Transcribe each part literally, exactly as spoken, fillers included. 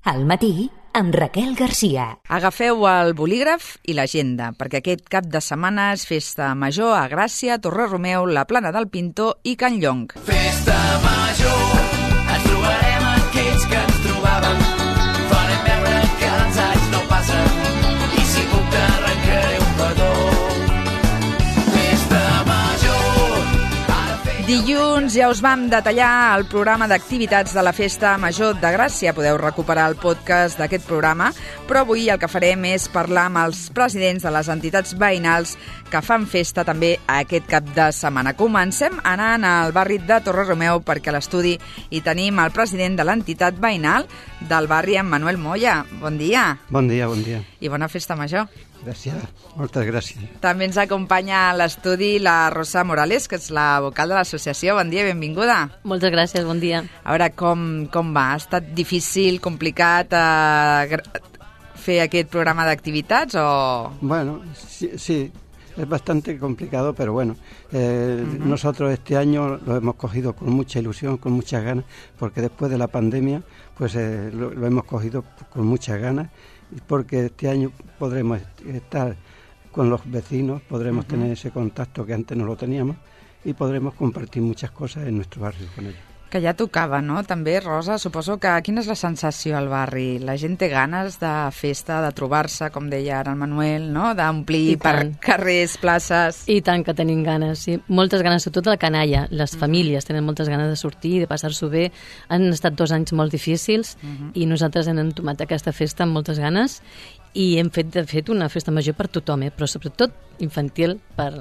Al matí, amb Raquel Garcia. Agafeu el bolígraf i l'agenda, perquè aquest cap de setmana és festa major a Gràcia, Torre-Romeu, la Plana del Pintor i Can Llong. Festa major, ens trobarem aquells que ens trobàvem. Farem veure que els anys no passen i si puc t'arrencaré un petó. Festa major, ara feia... Dilluns ja us vam detallar el programa d'activitats de la Festa Major de Gràcia. Podeu recuperar el podcast d'aquest programa, però avui el que farem és parlar amb els presidents de les entitats veïnals que fan festa també aquest cap de setmana. Comencem anant al barri de Torre-Romeu perquè a l'estudi hi tenim el president de l'entitat veïnal del barri, en Manuel Moya. Bon dia. Bon dia, bon dia. I bona Festa Major. Gràcies, moltes gràcies. També ens acompanya a l'estudi la Rosa Morales, que és la vocal de l'associació. Bon dia, benvinguda. Moltes gràcies, bon dia. A veure, com, com va? Ha estat difícil, complicat eh, fer aquest programa d'activitats o...? Bueno, sí, sí, es bastante complicado, pero bueno, eh, uh-huh. nosotros este año lo hemos cogido con mucha ilusión, con muchas ganas, porque después de la pandemia, pues eh, lo, lo hemos cogido con muchas ganas, porque este año podremos estar con los vecinos, podremos uh-huh. tener ese contacto que antes no lo teníamos y podremos compartir muchas cosas en nuestro barrio con ellos. Que ja tocava, no? També, Rosa, suposo que quina és la sensació al barri? La gent té ganes de festa, de trobar-se, com deia ara el Manuel, no? D'omplir per carrers, places... I tant que tenim ganes, sí. Moltes ganes, sobretot la canalla. Les uh-huh. famílies tenen moltes ganes de sortir, de passar-s'ho bé. Han estat dos anys molt difícils uh-huh. i nosaltres hem entomat aquesta festa amb moltes ganes i hem fet, de fet, una festa major per tothom, eh? Però sobretot infantil per...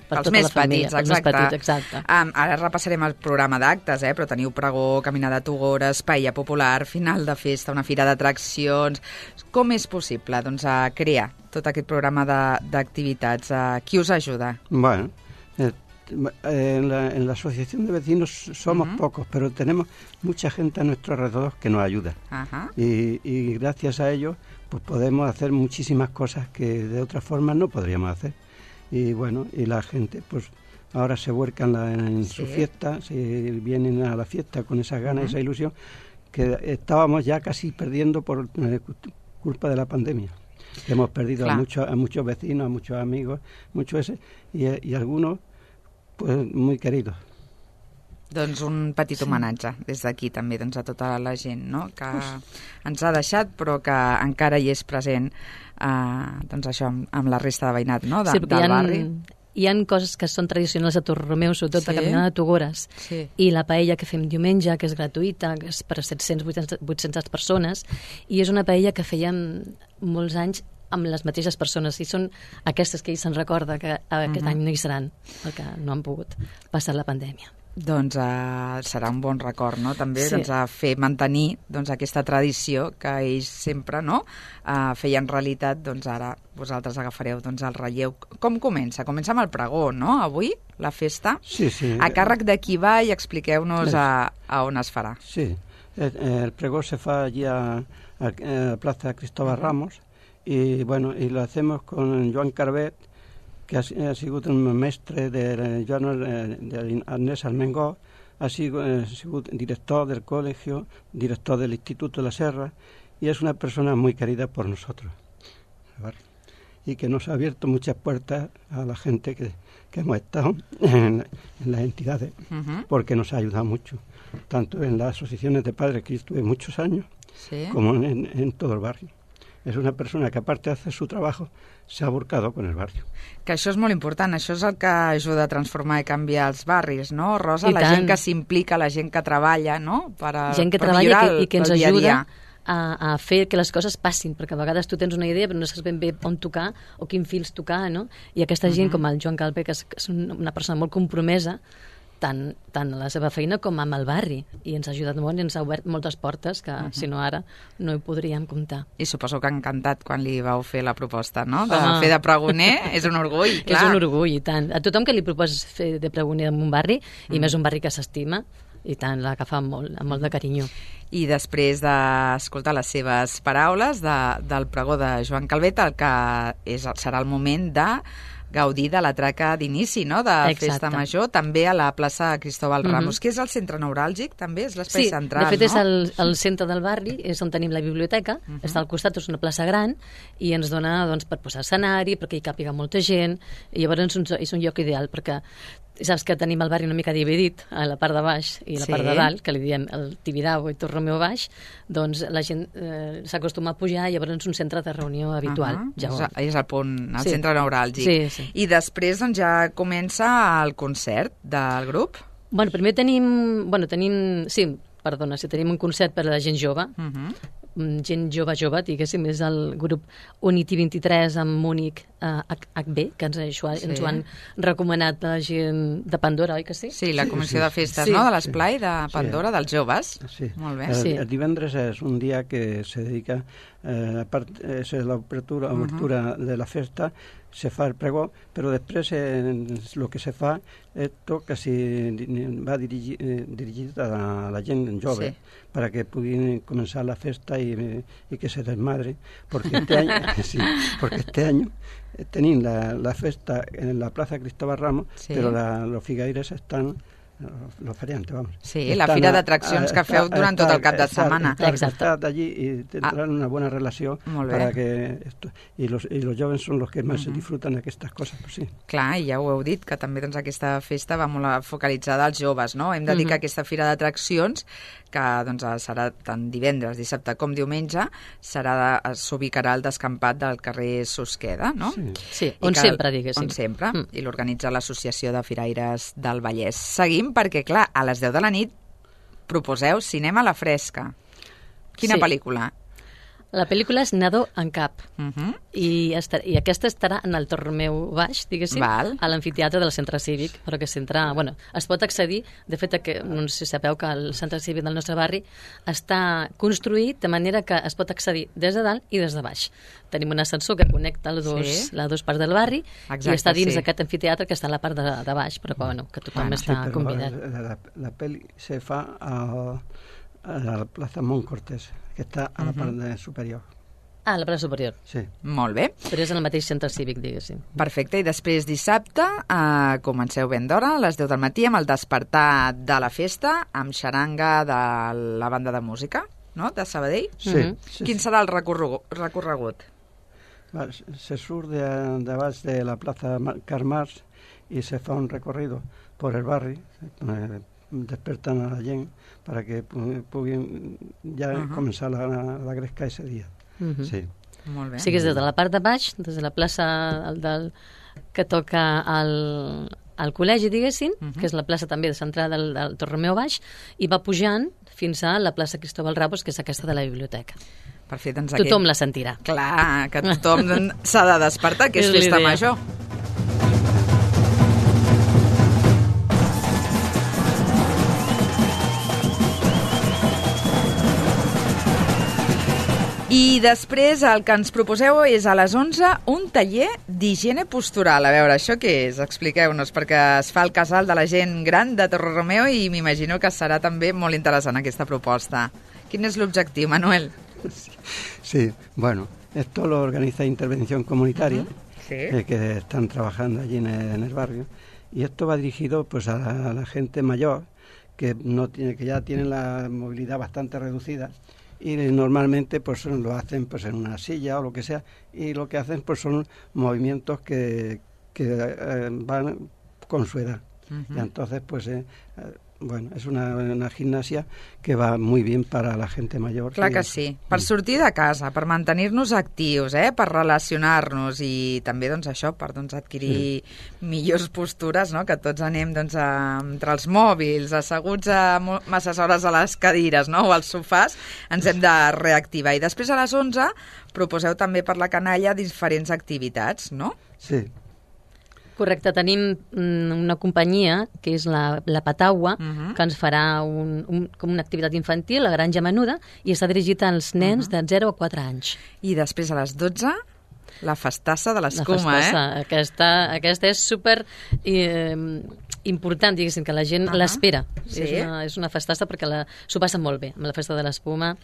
Per els tota més la família, petits, exacte. Els més petits, exacte. Um, ara repassarem el programa d'actes, eh? Però teniu pregó, caminada a Togores, paella popular, final de festa, una fira d'atraccions... Com és possible doncs, a crear tot aquest programa d'activitats? Qui us ajuda? Bueno, eh, en, la, en la asociación de vecinos somos uh-huh. pocos, pero tenemos mucha gente a nuestro alrededor que nos ayuda. Uh-huh. Y, y gracias a ellos pues podemos hacer muchísimas cosas que de otra forma no podríamos hacer. Y bueno, y la gente pues ahora se vuelcan la, en sí. su fiesta, se vienen a la fiesta con esas ganas, uh-huh. esa ilusión que estábamos ya casi perdiendo por eh, culpa de la pandemia. Hemos perdido a muchos, a muchos vecinos, a muchos amigos, muchos ese, y, y algunos pues muy queridos. Doncs un petit sí. homenatge des d'aquí també doncs, a tota la gent, no? Que ens ha deixat però que encara hi és present eh, doncs això, amb, amb la resta de veïnat, no? De, sí, del hi ha, barri. Hi ha coses que són tradicionals a Torre-Romeu, sobretot sí. la caminada de Togores sí. i la paella que fem diumenge, que és gratuïta, que és per a set-cents a vuit-centes persones, i és una paella que fèiem molts anys amb les mateixes persones, i són aquestes que ell se'n recorda que aquest uh-huh. any no hi seran, perquè no han pogut passar la pandèmia. Doncs uh, serà un bon record, no? També sí. doncs, a fer mantenir doncs, aquesta tradició que ells sempre no? uh, feien realitat, doncs ara vosaltres agafareu doncs, el relleu. Com comença? Comença amb el pregó, no? Avui, la festa. Sí, sí. A càrrec de qui va i expliqueu-nos a, a on es farà. Sí, el, el pregó se fa allí a, a, a Plaza Cristóbal Ramos y bueno, y lo hacemos con Joan Carbet, que ha, ha sigut un mestre de Joan de Agnès Armengol, ha sigut, ha sigut director del colegio, director del Instituto de la Serra, y es una persona muy querida por nosotros, ¿vale? Y que nos ha abierto muchas puertas a la gente que, que hemos estado en, en las entidades, uh-huh. porque nos ha ayudado mucho, tanto en las asociaciones de padres, que yo estuve muchos años, ¿sí? como en, en todo el barrio. És una persona que, aparte de hacer su trabajo, se ha volcado con el barrio. Que això és molt important, això és el que ajuda a transformar i canviar els barris, no, Rosa? I la tant. gent que s'implica, la gent que treballa, no? Per, a, gent que per treballa el, i que, i que ens dia ajuda dia. a, a fer que les coses passin, perquè a vegades tu tens una idea però no saps ben bé on tocar o quin fils tocar, no? I aquesta gent, uh-huh. com el Joan Calvé, que és, que és una persona molt compromesa, tant, tant a la seva feina com amb el barri, i ens ha ajudat molt i ens ha obert moltes portes que, uh-huh. si no ara, no hi podríem comptar. I suposo que ha encantat quan li vau fer la proposta, no? De Home. fer de pregoner, és un orgull, clar. És un orgull, i tant. A tothom que li proposes fer de pregoner en un barri, mm. i més un barri que s'estima, i tant, l'agafa amb molt, amb molt de carinyo. I després d'escoltar les seves paraules de, del pregó de Joan Calvet, el que és, serà el moment de gaudir de la traca d'inici, no?, de Exacte. Festa Major, també a la plaça Cristóbal Ramos, que és el centre neuràlgic, també, és l'espai Sí, central, de fet no? és el, el centre del barri, és on tenim la biblioteca, Mhm. està al costat, és una plaça gran, i ens dona doncs, per posar escenari, perquè hi càpiga molta gent, i llavors és un, és un lloc ideal, perquè saps que tenim el barri una mica dividit, a la part de baix i la Sí. part de dalt, que li diem el Tibidabo i Torromeo baix, doncs la gent eh, s'acostuma a pujar, i llavors és un centre de reunió habitual. Uh-huh. Ja ho... és, és el punt, el Sí. centre neuràlgic. Sí, sí. I després doncs, ja comença el concert del grup. Bueno, primer tenim... Bueno, tenim... Sí, perdona, si tenim un concert per a la gent jove, Uh -huh. mm, gent jove, jove, diguéssim, és el grup Unity vint-i-tres amb Múnic eh, H B, que ens, això, Sí. ens ho han recomanat la gent de Pandora, oi que sí? Sí, la comissió sí. de festes, Sí. no?, de l'esplai de Pandora, dels joves. Sí. Molt bé. El, Sí. el divendres és un dia que se dedica, eh, a part, és l'obertura uh-huh. de la festa, se fa el pregó, però després eh, el que se fa és tot que si va dirigir, eh, dirigit a la, a la gent jove, Sí. para que puguin començar la festa i, i que se desmadre, porque este año, sí, porque este año eh, tenim la, la festa en la Plaza Cristóbal Ramos, Sí. però la, los figueires estan, los feriantes, vamos. Sí, la estan fira a- d'atraccions a- que feu a- durant tot el cap de estar- setmana. estar- Exacte. estar allí y tendrán una buena relación Molt bé. para que esto, y los y los jóvenes son los que más disfrutan d'aquestes coses, pues sí. Clar, i ja ho heu dit, que també doncs, aquesta festa va molt focalitzada als joves, no? Hem de dir Mhm. que aquesta fira d'atraccions, que doncs, serà tant divendres, dissabte com diumenge, serà de, s'ubicarà al descampat del carrer Susqueda, no? Sí. Sí, I on que- sempre, diguéssim. On sempre, Mm. i l'organitza l'Associació de Firaires del Vallès. Seguim perquè, clar, a les deu de la nit proposeu Cinema a la Fresca. Quina Sí. pel·lícula? La pel·lícula és Nadó en cap, Uh -huh. i, estar, i aquesta estarà en el Torromeu baix, diguéssim, Val. a l'amfiteatre del centre cívic, però que s'entra... Bueno, es pot accedir, de fet, que, no sé si sabeu que el centre cívic del nostre barri està construït de manera que es pot accedir des de dalt i des de baix. Tenim un ascensor que connecta les dos, Sí. les dues parts del barri, Exacte, i està dins sí. d'aquest amfiteatre que està a la part de, de baix, però que, bueno, que tothom Bueno, Sí, està pero convidat. la, la, la peli se fa a, a la Plaza Montcortés, que està a la part superior. Ah, a la plaça superior. Sí. Molt bé. Però és en el mateix centre cívic, diguéssim. Perfecte, i després dissabte eh, comenceu ben d'hora, a les deu del matí, amb el despertar de la festa, amb xaranga de la banda de música, no?, de Sabadell. Sí, Mhm. sí, Quin sí. serà el recorregut? recorregut? Va, se surt de, de abans de la Plaza Ma- Karl Marx y se fa un recorrido por el barri, eh, despertan a la gent para que pu- puguin ja Ajá. començar la, la gresca ese dia. Mhm. Sí. Molt bé. O sigui, és des de la part de baix, des de la plaça del, del, que toca al, al col·legi, diguéssim, uh -huh. que és la plaça també de centrada del, del Torromeu baix, i va pujant fins a la plaça Cristóbal Ramos, que és aquesta de la biblioteca. Perfecte, doncs Tothom aquest... la sentirà. Clar, que tothom s'ha de despertar, que és, És festa l'idea. major. I després el que ens proposeu és a les onze un taller d'higiene postural. A veure, això què és? Expliqueu-nos, perquè es fa el casal de la gent gran de Torrelameu i m'imagino que serà també molt interessant aquesta proposta. Quin és l'objectiu, Manuel? Sí, bueno, esto lo organiza Intervención Comunitaria, Sí. eh, que están trabajando allí en el, en el barrio, y esto va dirigido pues a la, a la gente mayor que no tiene, que ya tienen la movilidad bastante reducida, y normalmente pues lo hacen pues en una silla o lo que sea, y lo que hacen pues son movimientos que, que eh, van con su edad. Uh-huh. Y entonces pues eh, eh, bueno, és una, una gimnasia que va muy bien para la gente mayor. Clar que sí. Per sortir de casa, per mantenir-nos actius, eh? Per relacionar-nos i també doncs, això, per doncs, adquirir sí. millors postures, no? Que tots anem doncs, a, entre els mòbils, asseguts a mo- masses hores a les cadires, no? O als sofàs, ens hem de reactivar. I després a les onze proposeu també per la canalla diferents activitats, no? Sí. Correcte, tenim mm, una companyia, que és la, la Pataua, Mhm. que ens farà un, un, com una activitat infantil, la Granja Menuda, i està dirigit als nens de zero a quatre anys. I després a les dotze, la festassa de La l'escuma, eh? festassa. Aquesta, aquesta és super eh, important, diguéssim, que la gent Ahà. l'espera. Sí. És, una, és una festassa perquè la- s'ho passa molt bé, amb la festa de l'espuma.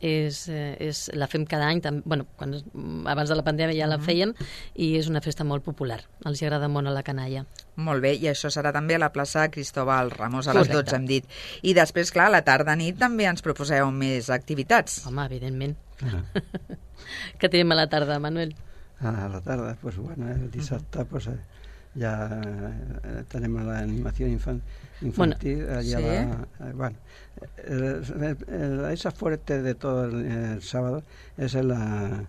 és, eh, és, la fem cada any, tam, bueno, quan, abans de la pandèmia ja la fèiem, i és una festa molt popular. Els agrada molt a la canalla. Molt bé, i això serà també a la plaça Cristóbal Ramos a les Correcte. dotze, hem dit. I després, clar, a la tarda-nit també ens proposeu més activitats. Home, evidentment. Ah. Què tenim a la tarda, Manuel? A la tarde, pues bueno, el dissabte pues eh, ya eh, tenemos la animación infan- infantil. Bueno, allá sí. va, eh, bueno, el- el- el- esa fuerte de todo el, el sábado es la,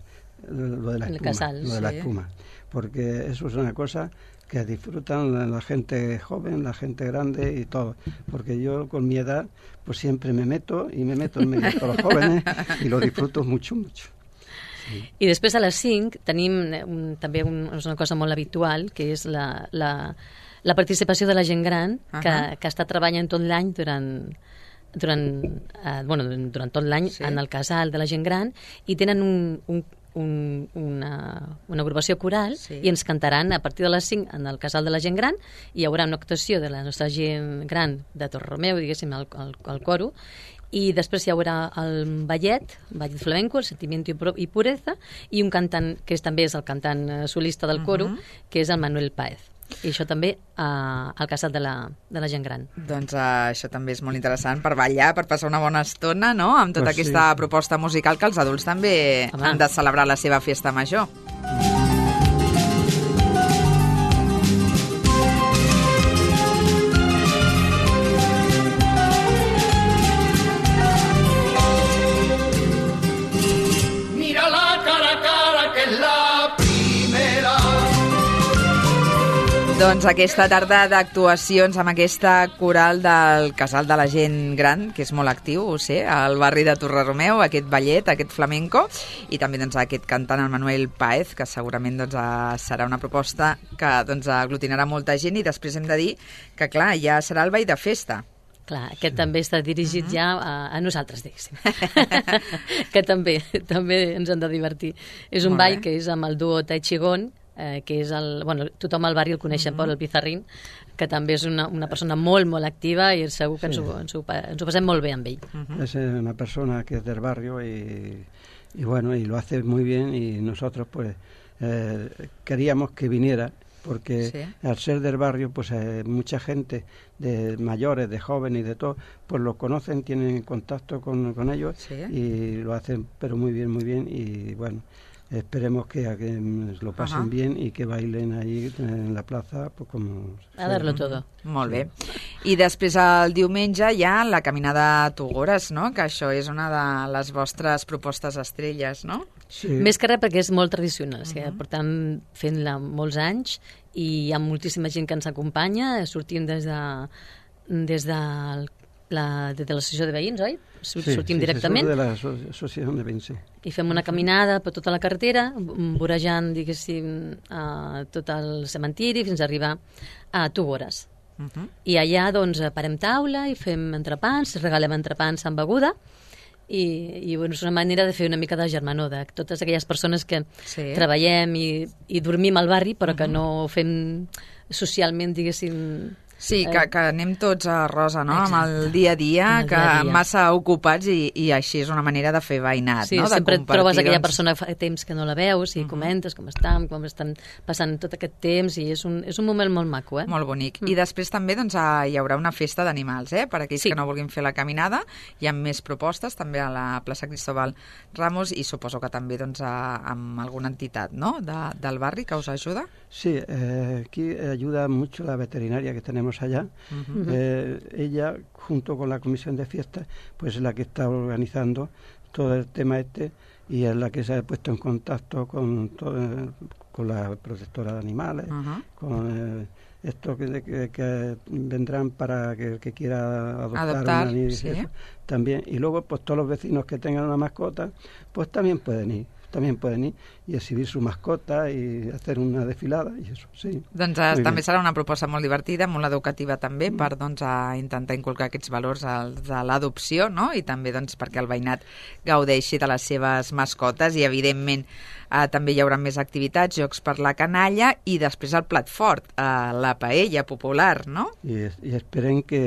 lo de la El espuma, casal, lo de la sí. espuma, porque eso es una cosa que disfrutan la, la gente joven, la gente grande y todo, porque yo con mi edad pues siempre me meto y me meto en medio de todos los jóvenes y lo disfruto mucho, mucho. I després a les cinc tenim un, també un, és una cosa molt habitual, que és la, la, la participació de la gent gran, que, Ahà. que està treballant tot l'any durant, durant, eh, bueno, durant tot l'any Sí. en el casal de la gent gran, i tenen un, un, un, una, una agrupació coral, Sí. i ens cantaran a partir de les cinc en el casal de la gent gran. Hi haurà una actuació de la nostra gent gran de Torromeu, diguéssim, al, al, al coro, i després hi haurà el ballet, ballet flamenco, el sentimiento y Pu- y pureza, i un cantant que és, també és el cantant eh, solista del coro, Mhm. que és el Manuel Páez. I això també eh, al casal de la, de la gent gran. Doncs uh, això també és molt interessant per ballar, per passar una bona estona, no?, amb tota Pues sí, aquesta sí. proposta musical que els adults també Home. han de celebrar la seva festa major. Mira la cara a cara que es la primera. Doncs aquesta tarda d'actuacions amb aquesta coral del Casal de la Gent Gran, que és molt actiu, ho sé, al barri de Torreromeu, aquest ballet, aquest flamenco, i també doncs, aquest cantant, el Manuel Páez, que segurament doncs, eh, serà una proposta que doncs, aglutinarà molta gent, i després hem de dir que, clar, ja serà el ball de festa. Clar, aquest també està dirigit ja a, a nosaltres, diguéssim. que també també ens han de divertir. És un Molt ball bé. que és amb el duo Tai Chigón, eh, que és el... Bueno, tothom al barri el coneixen per el Pizarrín, que també és una, una persona molt, molt activa, i segur que Sí. ens, ho, ens, ho, pa- ens ho passem molt bé amb ell. Es eh, una persona que es del barrio y, y bueno, y lo hace muy bien, y nosotros pues eh, queríamos que viniera, porque Sí. al ser del barrio pues eh, mucha gente de mayores, de jóvenes y de todo, pues lo conocen, tienen contacto con, con ellos Sí. y lo hacen pero muy bien, muy bien, y bueno, esperemos que, que lo pasen Ajá. bien y que bailen ahí en la plaza pues como... A darlo todo. Molt bé. I després el diumenge hi ha la caminada a Tugores, no?, que això és una de les vostres propostes estrelles, no? Sí. Més que res perquè és molt tradicional, és que portem fent-la molts anys i hi ha moltíssima gent que ens acompanya, sortim des de, des de la, des de l'associació de veïns, oi? Sur- Sí, sortim sí, directament de la aso- asociación de veïns, sí. i fem una caminada per tota la carretera, v- vorejant, diguéssim, a tot el cementiri fins a arribar a Tugores. Uh -huh. I allà, doncs, parem taula i fem entrepans, regalem entrepans amb beguda, i, i bueno, és una manera de fer una mica de germanor de totes aquelles persones que Sí. treballem i, i dormim al barri, però que no fem socialment, diguéssim... Sí, eh, que, que anem tots a rosa, no?, amb Exacte. el dia a dia, Amb el que dia a dia. massa ocupats, i, i així és una manera de fer veïnat, Sí, no?, de sempre et compartir, trobes aquella doncs. persona que fa temps que no la veus i comentes com estan, com estan passant tot aquest temps, i és un, és un moment molt maco, eh? Molt bonic. I després també doncs, ah, hi haurà una festa d'animals, eh? Per aquells Sí. que no vulguin fer la caminada. Hi ha més propostes també a la plaça Cristóbal Ramos, i suposo que també doncs, a, amb alguna entitat, no?, de, del barri que us ajuda. Sí, eh, aquí ayuda mucho la veterinaria que tenemos allá. Eh, ella, junto con la comisión de fiestas, pues es la que está organizando todo el tema este, y es la que se ha puesto en contacto con, todo, con la protectora de animales, Ajá. con eh, esto que, que, que vendrán para que el que quiera adoptar, Adoptar, un animal, sí. eso, también. Y luego, pues todos los vecinos que tengan una mascota, pues también pueden ir. también pueden ir y exhibir su mascota y hacer una desfilada i això, sí. Doncs eh, Muy també bien. serà una proposta molt divertida, molt educativa també, per doncs, a intentar inculcar aquests valors als de l'adopció, no?, i també doncs, perquè el veïnat gaudeixi de les seves mascotes, i evidentment Uh, també hi haurà més activitats, jocs per la canalla i després el plat fort, uh, la paella popular, no? I, i esperem que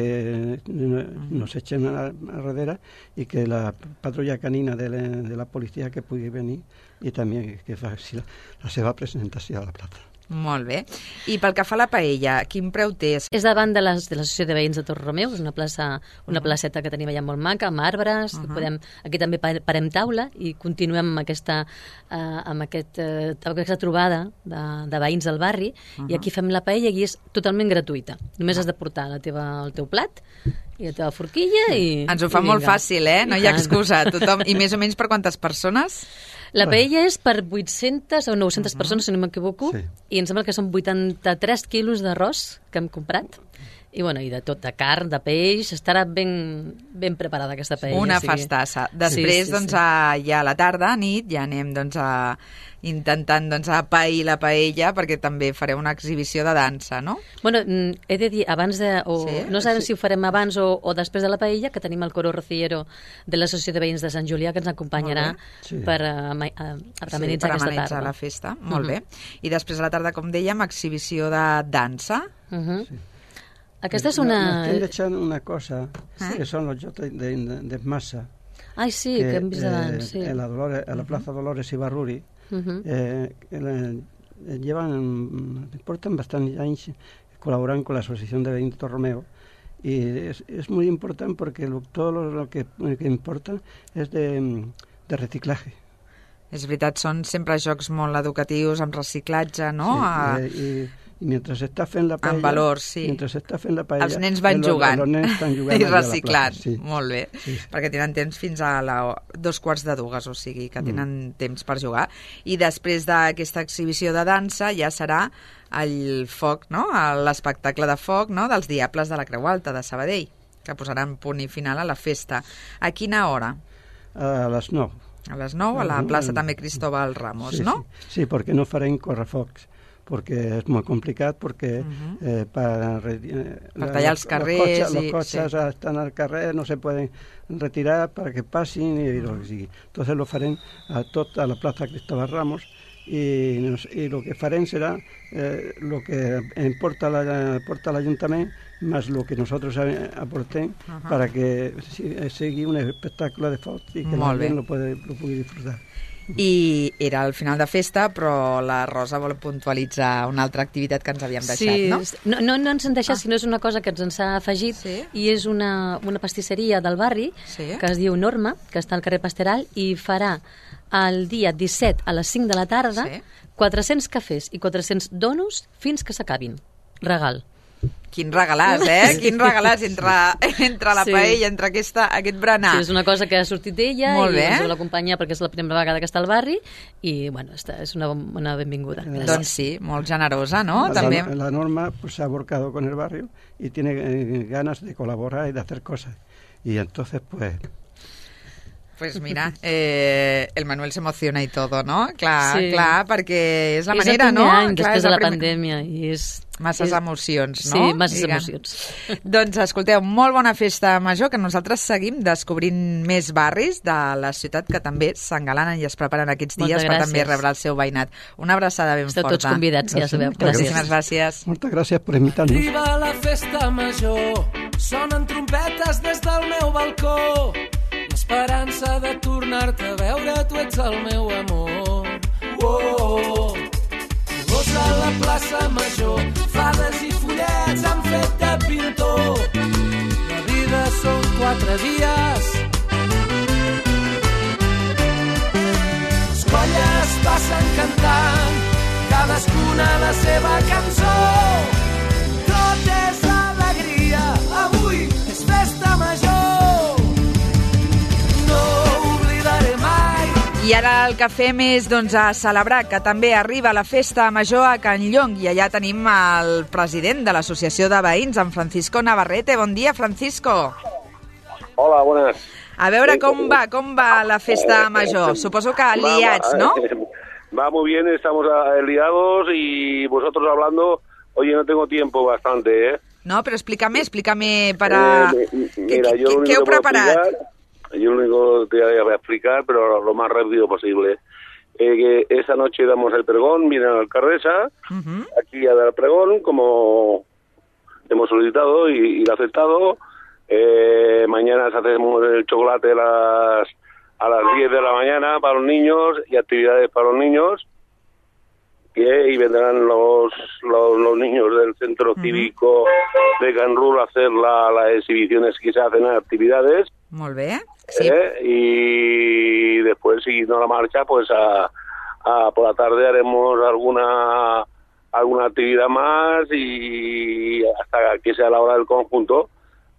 nos echen a, a darrere i que la patrulla canina de la, de la policia que pugui venir i també que faci la, la seva presentació a la plaça. Molt bé. I pel que fa a la paella, quin preu té? És davant de les- de l'Associació de Veïns de Torromeu, és una plaça, una placeta que tenim allà molt maca, amb arbres, Uh-huh. podem, aquí també pa- parem taula i continuem amb aquesta, eh, amb aquest, eh, aquesta trobada de, de veïns del barri i aquí fem la paella i és totalment gratuïta. Només has de portar la teva, el teu plat i la teva forquilla i... Ens ho fa i molt vinga. fàcil, eh? No I hi ha tant. excusa. Tothom... I més o menys per quantes persones? La paella és per vuit-centes o nou-centes persones, si no m'equivoco, Sí. i em sembla que són vuitanta-tres quilos d'arròs que hem comprat. I, bueno, i de tot, de carn, de peix, estarà ben, ben preparada aquesta paella. Una o sigui- festassa. Després, Sí, sí, doncs, sí. A, ja a la tarda, a nit, ja anem doncs, a, intentant doncs, a pair la paella, perquè també fareu una exhibició de dansa, no? Bueno, mm, he de dir, abans de... O, Sí? no sabem si ho farem abans o, o després de la paella, que tenim el coro rociero de l'Associació de Veïns de Sant Julià, que ens acompanyarà Molt bé. Sí. per uh, a, a, a Sí, amenitzar per aquesta amenitzar tarda. la festa. Molt Mhm. bé. I després a la tarda, com dèiem, exhibició de dansa. Uh -huh. Sí. Aquesta és No- una... Nos estem deixant una cosa, Eh? que són els jocs de, de, de massa. Ai, sí, que, hem vist abans, sí. En la, Dolores, en la plaza Dolores Ibarruri, Uh -huh. eh, eh, llevan, portan bastantes años colaborando con la Asociación de Veïns de Torromeu y es, es muy importante porque lo, todo lo, lo que, que importa es de, de reciclaje. És veritat, són sempre jocs molt educatius, amb reciclatge, no? Sí, A- eh, i, i mentre s'està fent la paella... Amb valors, sí. Mentre s'està fent la paella... Els nens van los- jugant, Los nens estan jugant i allà a la reciclant. plaça, sí. Molt bé, Sí, sí. perquè tenen temps fins a la, dos quarts de dues, o sigui que tenen Mm. temps per jugar. I després d'aquesta exhibició de dansa ja serà el foc, no? L'espectacle de foc, no? Dels Diables de la Creu Alta de Sabadell, que posaran punt i final a la festa. A quina hora? A les nou. A les nou, a la Mhm. plaça també Cristóbal Ramos, Sí, no? Sí, sí, porque no farem correfocs, porque es muy complicado, porque eh, para, re- eh, Per la- tallar els los carrers cotxes, i- los cotxes sí. están al carrer, no se pueden retirar para que pasen y lo que sigui. Entonces lo farem a tot a la plaza Cristóbal Ramos y, nos, y lo que farem será eh, lo que importa la, aporta l'Ajuntament más lo que nosotros eh, aportem Ajá. para que si- sigui un espectáculo de foc y que la Molt bé. gent lo, puede, lo pugui disfrutar. I era el final de festa, però la Rosa vol puntualitzar una altra activitat que ens havíem deixat, sí, no? no? No, no ens han deixat, ah. sinó és una cosa que ens ha afegit Sí. i és una, una pastisseria del barri Sí. que es diu Norma, que està al carrer Pasteral i farà el dia disset a les cinc de la tarda Sí. quatre-cents cafès i quatre-cents donuts fins que s'acabin. Regal. Quin regalàs, eh? Quin regalàs entre, entre la Sí. paella, entre aquesta, aquest berenar. Sí, és una cosa que ha sortit d'ella Molt i bé. ens vol acompanyar perquè és la primera vegada que està al barri i, bueno, està, és una, una benvinguda. Gràcies. Doncs sí, molt generosa, no? La, També. la Norma pues, se ha volcado con el barrio y tiene eh, ganas de colaborar y de hacer cosas. Y entonces, pues, Pues mira, eh, el Manuel se emociona i tot, no? Clar, Sí. clar, perquè és la és manera, el no? primer any Clar, després és de la primer- pandèmia i és... Masses és... emocions, no? Sí, masses Diguem. emocions. Doncs escolteu, molt bona festa major, que nosaltres seguim descobrint més barris de la ciutat que també s'engalanen i es preparen aquests dies Moltes per gràcies. també rebre el seu veïnat. Una abraçada ben Esteu forta. tots convidats, ja sabeu. Gràcies. Moltíssimes gràcies. muchas gracias por invitarnos. Arriba la festa major, sonen trompetes des del meu balcó. L'esperança de tornar-te a veure, tu ets el meu amor. Oh, Gos a la plaça major, fades i follets han fet de pintor. La vida són quatre dies. Les colles passen cantant, cadascuna la seva cançó. Tot és alegria, avui és festa major. No oblidaré mai. I ara el que fem és doncs, a celebrar que també arriba la festa major a Can Llong i allà tenim el president de l'Associació de Veïns, en Francisco Navarrete. Bon dia, Francisco. Hola, buenas. A veure com va, com va la festa major. Suposo que liats, Va, ¿no? Va muy bien, estamos ah, liados y vosotros hablando. Oye, no tengo tiempo bastante, ¿eh? No, però explícame, explícame para... Eh, mi- ¿Qué, mira, qué, yo lo único qué heu que puedo preparat? explicar- Yo lo único que te voy a explicar, pero lo más rápido posible. eh, que esta noche damos el pregón, viene la alcaldesa, uh-huh. aquí a dar el pregón, como hemos solicitado y, y lo ha aceptado. Eh, mañana hacemos el chocolate a las, a las diez de la mañana para los niños y actividades para los niños. Que, y vendrán los, los, los niños del centro uh-huh. cívico de Can Rull a hacer la, las exhibiciones que se hacen en actividades. Molt bé, sí. Eh, y después, siguiendo la marcha, pues a, a por la tarde haremos alguna alguna actividad más y hasta que sea la hora del conjunto,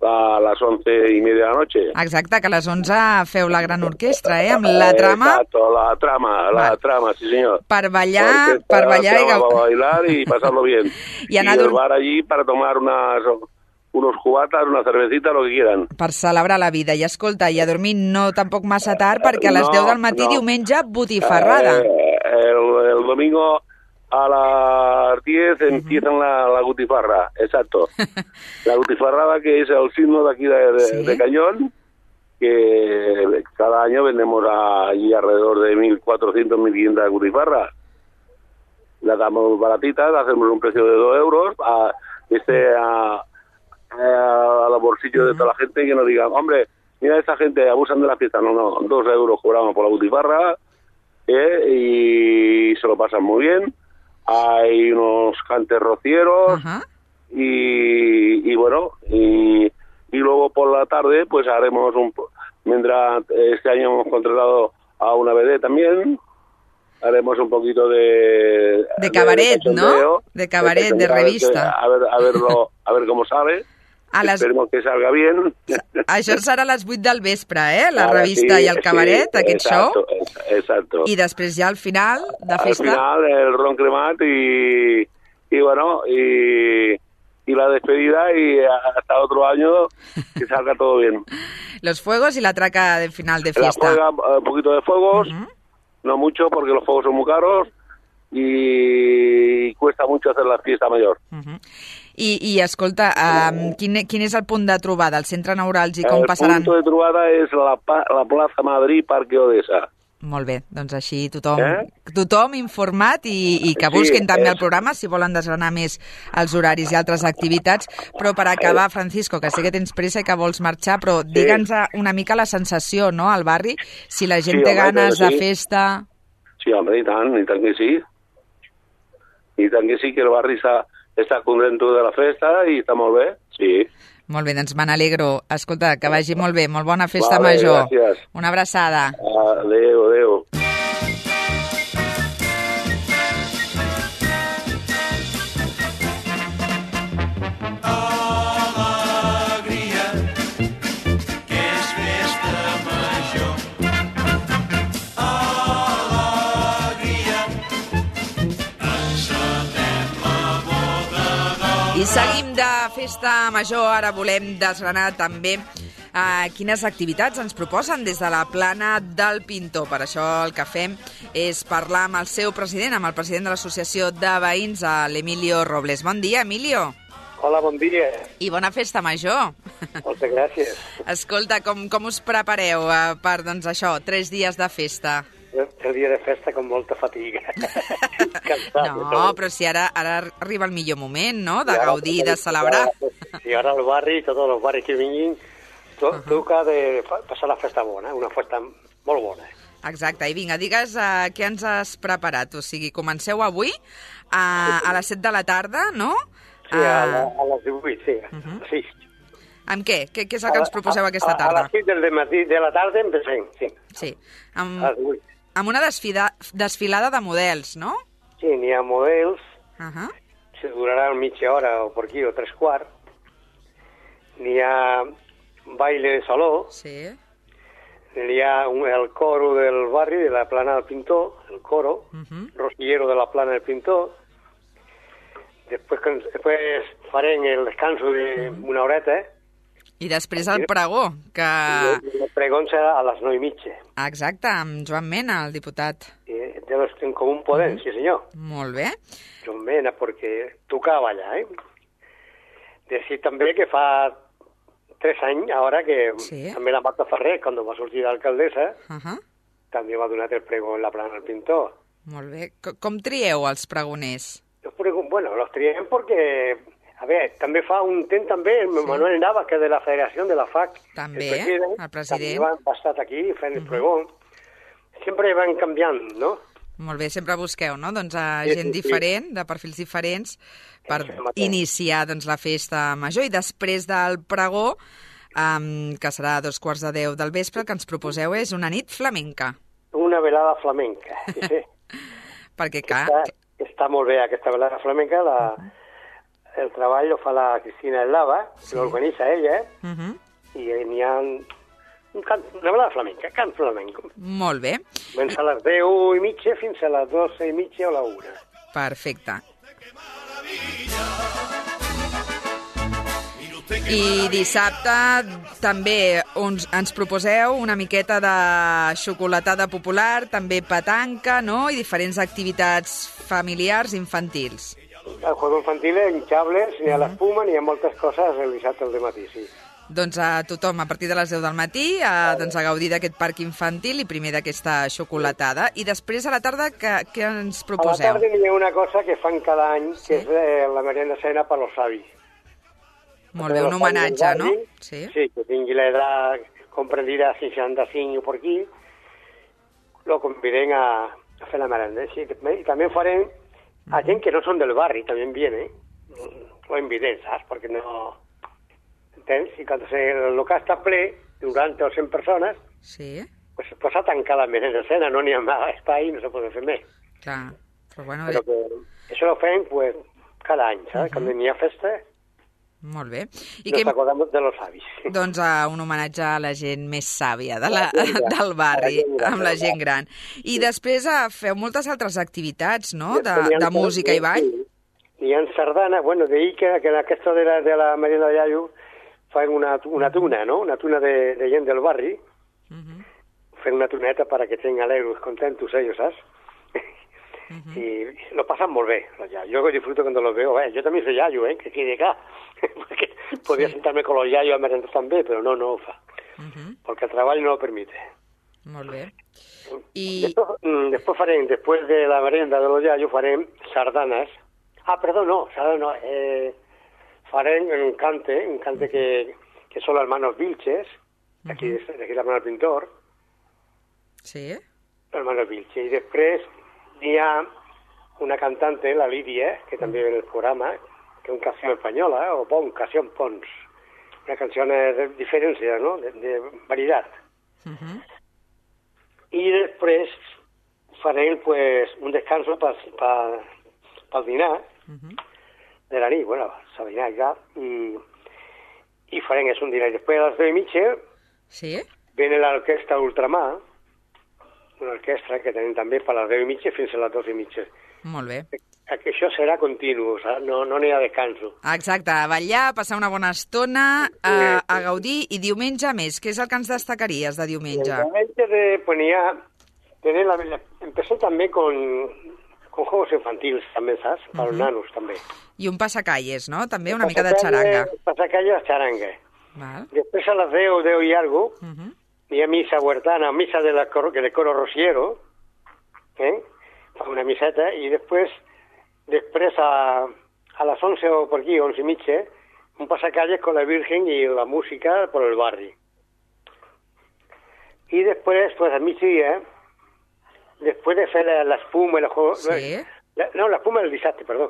a les onze i media de la noche. Exacte, que a les onze feu la gran orquestra, eh? Amb la trama... Exacto, la trama, la Va. trama, sí señor. Per ballar, per ballar i... Para bailar y pasarlo bien. y, y el bar allí para tomar unas, unos cubatas, una cervecita, lo que quieran. Per celebrar la vida. I escolta, i a dormir no tampoc massa tard, perquè a les no, deu del matí no. diumenge botifarrada. Eh, el, el domingo... A las diez empiezan la, la gutifarra, exacto. La gutifarrada, que es el signo de aquí de, de, ¿Sí? de Cañón, que cada año vendemos a, allí alrededor de mil cuatrocientas, mil quinientas gutifarras. Las damos baratitas, hacemos un precio de dos euros, a, este a, a, a los bolsillos de toda la gente, que nos digan, hombre, mira, esta gente abusan de la fiesta. No, no, dos euros cobramos por la gutifarra, eh, y se lo pasan muy bien. Hay unos cantes rocieros uh-huh. y, y bueno, y, y luego por la tarde pues haremos un... Vendrá, este año hemos contratado a una B D también, haremos un poquito de... De cabaret, de ¿no? De cabaret, de, de revista. A ver, a, verlo, a ver cómo sale. A les... Esperemos que salga bien. Això serà a les vuit del vespre, eh? La Ara revista sí, i el cabaret, sí, aquest exacto, show. Exacto. I després ja al final de festa... Al final el ron cremat y, y bueno, y, y la despedida y hasta otro año que salga todo bien. Los fuegos y la traca de final de fiesta. La juega, un poquito de fuegos, uh-huh. no mucho porque los fuegos son muy caros y cuesta mucho hacer la fiesta mayor. Uh-huh. I, i escolta, um, quin, quin és el punt de trobada, el centre neuràlgic, com el passaran? El punt de trobada és la, la plaça Madrid, Parque Odessa. Molt bé, doncs així tothom, eh? tothom informat i, i que busquin sí, també és... el programa si volen desgranar més els horaris i altres activitats. Però per acabar, Francisco, que sé que tens pressa i que vols marxar, però sí. digue'ns una mica la sensació, no?, al barri, si la gent sí, té home, ganes de sí. festa... Sí, home, i tant, i tant que sí. I tant que sí, que el barri està... Està content de la festa i està molt bé, sí. Molt bé, doncs me n'alegro. Escolta, que vagi molt bé, molt bona festa vale, major. Gràcies. Una abraçada. Adéu, adéu. I seguim de festa major, ara volem desgranar també eh, quines activitats ens proposen des de la plana del Pintor. Per això el que fem és parlar amb el seu president, amb el president de l'Associació de Veïns, l'Emilio Robles. Bon dia, Emilio. Hola, bon dia. I bona festa major. Moltes gràcies. Escolta, com, com us prepareu eh, per, doncs, això, tres dies de festa? El dia de festa com molta fatiga. Cansat, no, però si ara, ara arriba el millor moment, no?, de gaudir, de celebrar. I ara al barri, tots els barris que vinguin, to, uh-huh. toca de passar la festa bona, una festa molt bona. Exacte, i vinga, digues uh, què ens has preparat. O sigui, comenceu avui uh, a les set de la tarda, no? Sí, a, la, a les divuit, sí. Uh-huh. sí. Amb què? què? Què és el que ens proposeu aquesta tarda? A, a les sis del matí de la tarda empecem, sí. Sí, amb, amb una desfida, desfilada de models, no? Sí, n'hi ha models, uh-huh. se durarà mitja hora o per aquí, o tres quarts. N'hi ha baile de saló, sí. N'hi ha un, el coro del barri, de la plana del Pintor, el coro, uh-huh. Rosillero de la plana del Pintor. Després, després farem el descanso d'una horeta, eh? I després el pregó, que... El pregó serà a les nou i mitja. Exacte, amb Joan Mena, el diputat. De los en Comú Podem, sí senyor. Molt bé. Joan Mena, perquè tocava allà, eh? Decir també que fa tres anys, ara que sí. també la Marta Ferrer, quan va sortir d'alcaldessa, uh-huh. també m'ha donat el pregó en la plana del pintor. Molt bé. Com, com trieu els pregoners? Los pregó, bueno, los triem perquè, a veure, també fa un temps també el sí. Manuel Navas, que de la Federació de la F A C. També, el president. El president. També han estat aquí fent el pregó. Sempre van canviant, no? Molt bé, sempre busqueu, no? Doncs a Sí, gent sí, sí. diferent, de perfils diferents, per Sí, mateix. iniciar doncs, la festa major. I després del pregó, um, que serà a dos quarts de deu del vespre, el que ens proposeu és una nit flamenca. Una velada flamenca, sí, sí. Perquè, clar, Està, està molt bé aquesta velada flamenca. La, el treball lo fa la Cristina Eslava, Sí. que l'organitza ella, uh -huh. i n'hi ha un cant, una velada flamenca, cant flamenco. molt bé. Comença a les deu i mitja fins a les doce i mitja o la una. Perfecte. I dissabte també uns, ens proposeu una miqueta de xocolatada popular, també petanca, no? I diferents activitats familiars infantils. El juego infantil, hinchables, n'hi ha l'espuma, n'hi ha moltes coses el dissabte al dematí, sí. Doncs a tothom, a partir de les deu del matí, a, doncs a gaudir d'aquest parc infantil i primer d'aquesta xocolatada. I després a la tarda, què, què ens A la proposeu? tarda n'hi ha una cosa que fan cada any, Sí. que és eh, la merienda cena per als avis. Molt bé, un homenatge, no? Sí. Sí, que tingui l'edat comprendida a seixanta-cinc o per aquí, lo conviden a, a fer la merenda. Sí, i també farem a gent que no són del barri, també viene, lo inviten, saps? Perquè no... Entens? I quan el local està ple, noranta o cent persones, Sí, pues, pues s'ha tancat la merenda cena, no n'hi ha més espai, no se pot fer més. clar. Però bueno, Però que això ho fem, pues, cada any, saps? Quan n'hi ha festa, molt bé. I nos que, acordem de los avis. doncs a un homenatge a la gent més sàvia de la, La gent gran, del barri, la gent gran, amb la del gent gran. I després eh, feu moltes altres activitats, no?, de, Després n'hi ha- de música i ball. Sí. Hi ha sardana, bueno, d'ahir que, que en aquesta de la, de la merienda de Iaio fan una, una tuna, no? Una tuna de, de gent del barri, Uh -huh. fent una tuneta para que estén alegres, contentos ellos, ¿sabes? Uh -huh. Y lo pasan muy bien, los yayos. Yo disfruto cuando los veo. Eh, yo también soy yayo, ¿eh? Que quede acá. Porque podía sentarme con los yayos a merendar también, pero no, no ho fa. Uh -huh. Porque el trabajo no lo permite. Molt bé. I... Después, mm, después farem, después de la merienda de los yayos, farem sardanas. Ah, perdón, no, sardanas no. Eh, farem un cante, un cante que, que son los hermanos Vilches, de aquí, de aquí la hermana del pintor, Sí? los hermanos Vilches. Y después hi ha una cantante, la Lidia, que també ve en el programa, que es una canción española, o Pons, canción Pons. Una canción de diferencia, ¿no?, de, de variedad. Uh -huh. I després farem pues, un descanso per pa, pa dinar Uh -huh. de la nit, bueno, s'ha dinar ja, i, i farem és un dinar. I després a les deu i mitja Sí? viene l'orquestra Ultramar, una orquestra que tenim també per les deu i mitja fins a les dos i mitja. Molt bé. Que això serà continu, saps? No no n'hi ha descanso. Exacte, a ballar, passar una bona estona, a, a gaudir, i diumenge més. Què és el que ens destacaries de diumenge? El diumenge de, pues, n'hi ha, tener la, la, empecé també con, con juegos infantiles, també, saps? Per als Uh-huh. nanos, també. I un passacalles, no? També una mica de xaranga. Passacalle, xaranga. Val. Després a les deu, deu i algo, Uh -huh. hi ha missa huertana, missa de la coro, del coro Rociero, eh? Fa una miseta, i després, després a, a les onze o per aquí, onze i mitja, un passacalles con la Virgen i la música por el barri. I després, pues a migdia, després de fer la, la espuma i la juego... Sí. La, no, la espuma el dissabte, perdó.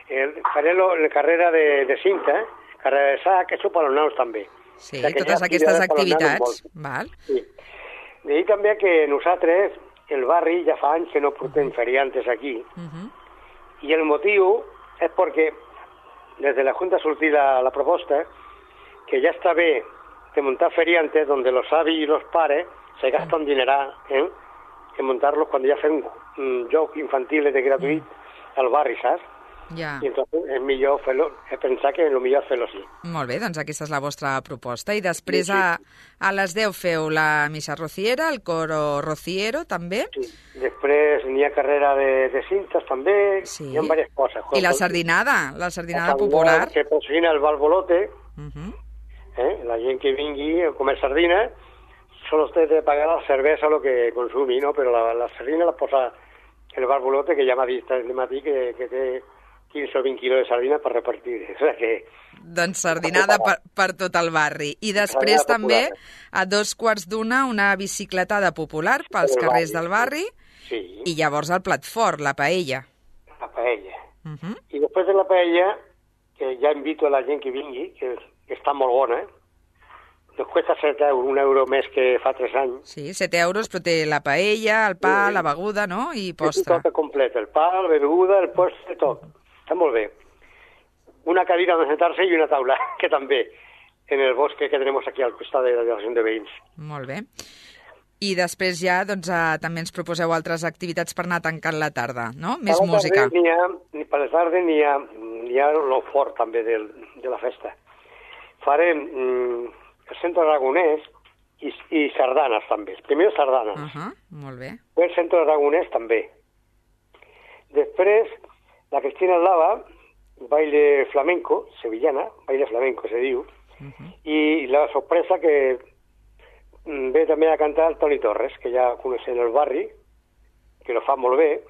El, faré lo, la carrera de, de cinta, carrera de sac, això per als nanos també. Sí, O sigui que totes hi ha aquestes activitats per als nanos activitats. molt. Val. Sí. D'ahir també que nosaltres, el barri, ja fa anys que no portem feriantes aquí, Uh -huh. i el motiu és perquè des de la Junta ha sortit la, la proposta que ja està bé de muntar feriantes donde los avis y los pares se gastan dineral ¿eh? en montarlos cuando ya fem un joc infantil de gratuït al barri, saps? Ja. I entonces és millor fer-lo, és pensar que el millor és fer-lo així. Molt bé, doncs aquesta és la vostra proposta. I després Sí, sí. a, a les deu feu la missa rociera, el coro rociero, també. Sí. Després n'hi ha carrera de, de cintes també, Sí. hi ha diverses coses. I la sardinada, la sardinada La popular. que patrocina el Balbolote, Uh -huh. eh? La gent que vingui a comer sardina solo usted debe pagar la cerveza lo que consumi, ¿no? Pero la, la sardina la posa el barbolote, que ja m'ha dit el matí que, que té quinze o vint quilos de sardina per repartir. O sigui que... Doncs sardinada per, per tot el barri. I després també, a dos quarts d'una, una bicicletada popular pels carrers del barri. Sí. I llavors el plat fort, la paella. La paella. Uh -huh. I després de la paella, que ja invito a la gent que vingui, que, que està molt bona, nos cuesta set euros, un euro més que fa tres anys. Sí, set euros, però té la paella, el pa, sí, la beguda, no? I postre. Tot complet, el pa, la beguda, el postre, tot. Està molt bé. Una cadira on sentar-se i una taula, que també, en el bosque que tenim aquí al costat de la delegació de veïns. Molt bé. I després ja, doncs, eh, també ens proposeu altres activitats per anar tancant la tarda, no? Més música. N'hi ha, per la tarda n'hi ha, n'hi ha lo fort també del, de la festa. Farem mm, el centre aragonès i, i sardanes també. Primer sardanes. Uh -huh, molt bé. El centre aragonès també. Després, la Cristina Lava, baile flamenco, sevillana, baile flamenco se diu, uh -huh. I la sorpresa que ve també a cantar el Toni Torres, que ja coneixem el barri, que lo fa molt bé,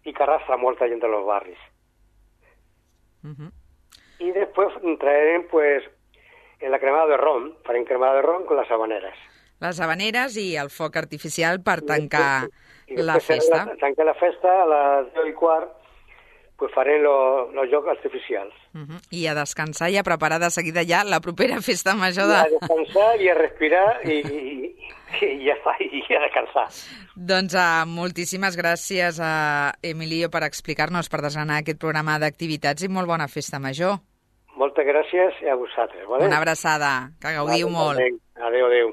i que arrastra molta gent dels barris. Uh -huh. I després traerem, pues, en la cremada de ron, farem cremada de ron con les habaneres. Les habaneres i el foc artificial per tancar I la festa. La, tancar la festa a les deu i quart, pues farem los lo jocs artificials. Uh -huh. I a descansar i a preparar de seguida ja la propera festa major de... I a descansar i a respirar i, i, i ja està, i a descansar. Doncs uh, moltíssimes gràcies a Emilio per explicar-nos, per desgranar aquest programa d'activitats i molt bona festa major. Moltes gràcies a vosaltres. Vale? Una abraçada, que gaudiu vale, molt. Adéu, adéu.